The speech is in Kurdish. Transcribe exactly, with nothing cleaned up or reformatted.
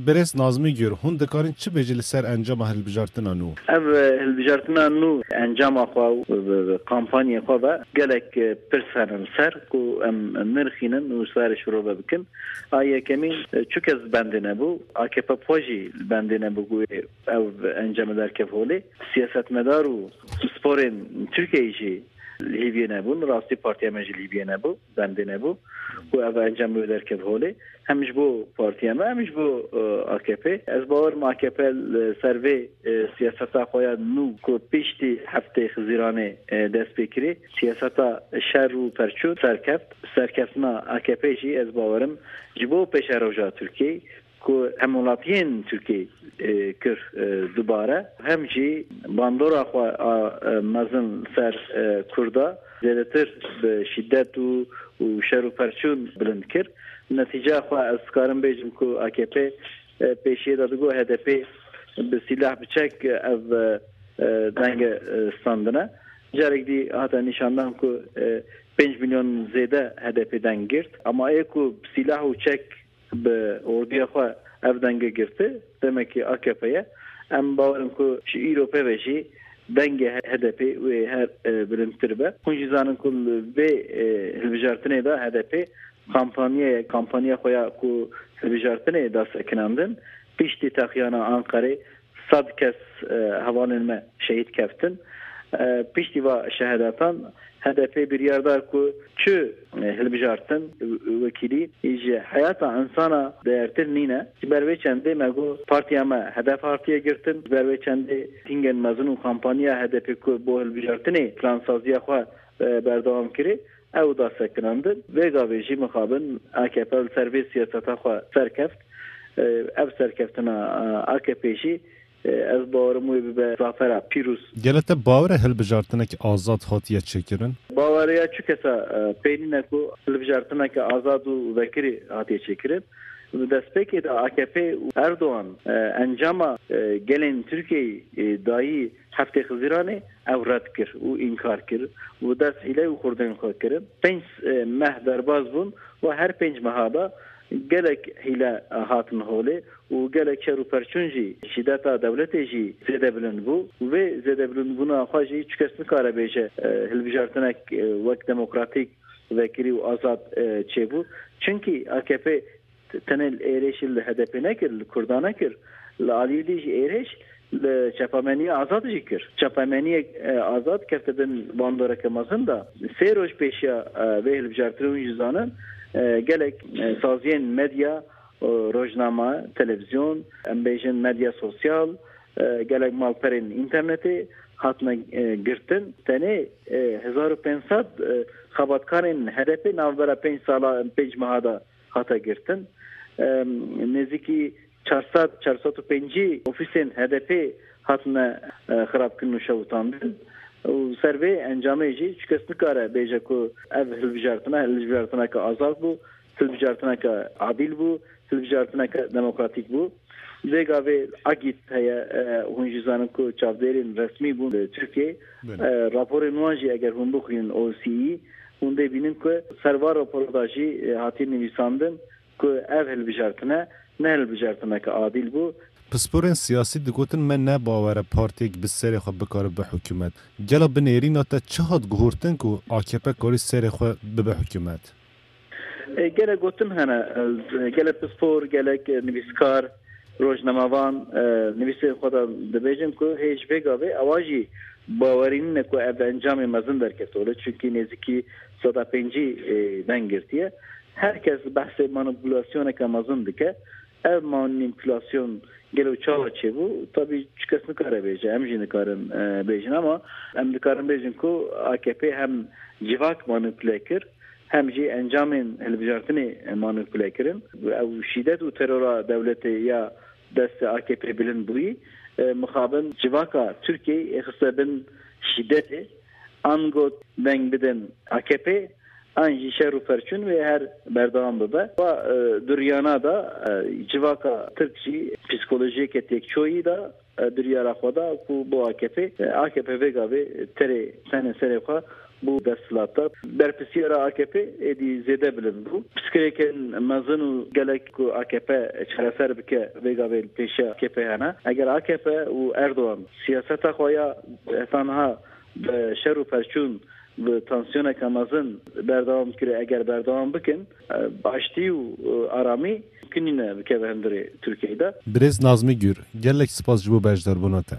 Birêz Nazmî Gür, hûn dikarin çi bêjî li ser encama hilbijartina nû? Ev, e, hilbijartina nû encama xwe û, e, e, kampanyê xwe ve gelek, e, pirs hene li ser ku em nirxînin û sar ji rove bikin. A yekemîn, e, çi kes bendê nebû? A K P xwe jî bendê nebû ku ev encamê derkev holê. Siyasetmedar û pisporên Tirkiyeyê jî li hîviyê nebûn. Rastî partiya me jî li hîviyê nebû, bendê nebû ku ev encam wê derkev holê. Hem ji bo partiya me, hem ji bo, e, A K P. Ez bawerim A K P li ser vê, e, siyaseta xwe ya nû ku piştî heftê Xizîranê, e, dest pê kirî, siyaseta şer û perçûn serkeft. Serkeftina A K P jî ez bawerim ji bo pêşeroja Tirkiyê ku hemwelatiyên Tirkiyê, e, kir, e, dubare, hem jî bandora xwe a, e, mezin ser, e, Kurda zêdetir bi şîdet û, û şer û perçûn bilind kir. Netîceya xwe ez dikarim bêjim ku A K P, e, pêşiyê de digot H D P bi sîlah bi çek ev, e, e, denge, e, standine. Carek dî hate nîşandan ku, e, pênc milyon zêde H D P deng girt. Ama ê ku bi sîlah û çek bi orduya xwe ev denge girti, demekî A K P ye. Em bawerin ku ji îro pê ve jî dengê H D P wê her, e, bilindtir be. Hûn jî zanin ku li vê, e, hilbijartinê de H D P kampanyaya, kampanya xwe ya ku hilbijartinê da sekinandin, piştî texiyana Anqerê sed kes, e, hevalên me şehîd keftin. E, piştî va şehadatan H D P biryar da ku çi, e, hilbijartin, wekîlî ji heyata insana değertir nîne. Ji ber vê çendê me got partiya me hedef hatiye girtin. Ji ber vê çendê tîngên mezin û kampanya H D P ku bo hilbijartinê plansaziya xwe, e, berdewam kirê, ew da sekinandin. Vê gavê jî mixabin A K P li ser vê siyaseta xwe serkeft. E, ev serkeftina, e, A K P jî, e, ez bawerim wê bibe zafera pîroz. Gele te bawer e hilbijartinek azad hatiye çêkirin? Bawereya çi kesa, e, pê nîne ku hilbijartineke azad û vekirî hatiye çêkirin. Di destpêkê de A K P û Erdogan, e, encama, e, gelên Tirkiyeyê, e, dayî heftê Xizîranê ew red kir û înkar kir û dest hîle û xurdên xwe kirin. Pênc, e, meh derbas bûn û her pênc meha de gelek hîle hatin holê û gelek şer û perçûn jî, şîdeta dewletê jî zêde bilind bû. Û vê zêde bilindbûna xwe jî çi kes nikare bêje, e, hilbijartinek, e, wek demokratîk, vekirî û azad, e, çêbû. Çimkî A K P tenê li êrêşî li H D P nekir, li Kurda nekir. Li aliyê dî jî êrêş li çapemeniya azad jî kir. Çapemeniyek, e, azad kefte bin bandoreke mezin de. Sê roj pêşiya, e, vê hilbijartinê hûn jî zanin, e, gelek, e, saziyên medya, e, rojname, televîzyon, em bêjin medya sosyal, e, gelek malperên înternetê hatine, e, girtin. Tenê, e, hezar û pênc sed, e, xebatkarên H D P navbera pênc sala, pênc meha de hate girtin. Em, nêzîkî çar sed, çar sed û pêncî ofîsên H D P hatine, e, xirabkirin û şewitandin. Û ser vê encamê jî çi kes nikare bêje ku ev hilbijartina, hilbijartineke azad bû, hilbijartineke adîl bû, hilbijartineke demokratîk bû. Vê gavê A G İ T heye, e, hûn jî zanin ku çavdêrên resmî bûn li Tirkiyê. Belê. E, raporên wan jî eger hûn bixwînin O S C E, hûn dê bînin ku ser van rapora da jî, e, hatiye nivîsandin ku ev hilbijartine ne hilbijartineke adîl bû. Pisporên siyasî digotin me ne bawer e partiyek bi serê xwe bikare bibe hikûmet. Gela bi nêrîna te çi hat guhurtin ku A K P karî serê xwe bibe hikûmet? E, gelek gotin hene, e, gelek pispor, gelek, e, nivîskar, rojnamevan, e, nivîsên xwe de dibêjin ku hê ji vê gavê ewa jî bawerî nîne ku ev encamê mezin derkevtole, çunkî nêzîkî seda pêncî, e, deng girtiye. Her kes behsê manipulasyoneke mezin dike. Ev manipülasyon gelo çawa çêbû? Tabî çi kes nikare bêje, em jî nikarin, e, bêjin, ama em dikarin bêjin ku A K P hem civak manipule kir, hem jî encamên hilbijartinê manipule kirin. Ew şîdet û terora dewletê ya destê A K P bilind bûyî, e, mixabin civaka Tirkiyeyê xiste bin şîdetê, ango deng bidin A K P, an jî şer û perçûn wê her berdewam bibe. Wa, e, duriyana da, e, civaka Tirk jî psîkolojiyeke têkçoyî da, e, duriyara xwe da ku bo A K P, e, A K P vê gavê terê tenê serê xwe bû desthilata. Berpirsiyara A K P êdî zêde bilind bû. Pirsgirêkên mezin û gelek ku A K P çareser bike vê gavê li pêşiya A K P hene. Eger A K P û Erdogan siyaseta xwe ya heta niha bi şer û perçûn, bi tansiyoneke mezin berdewam kire, eger berdewam bikin, e, aştî û, e, aramî mumkin nîne bikeve hundirê Tirkiyeyê de. Birêz Nazmî Gür, gelek spas ji bo beşdarbûna te.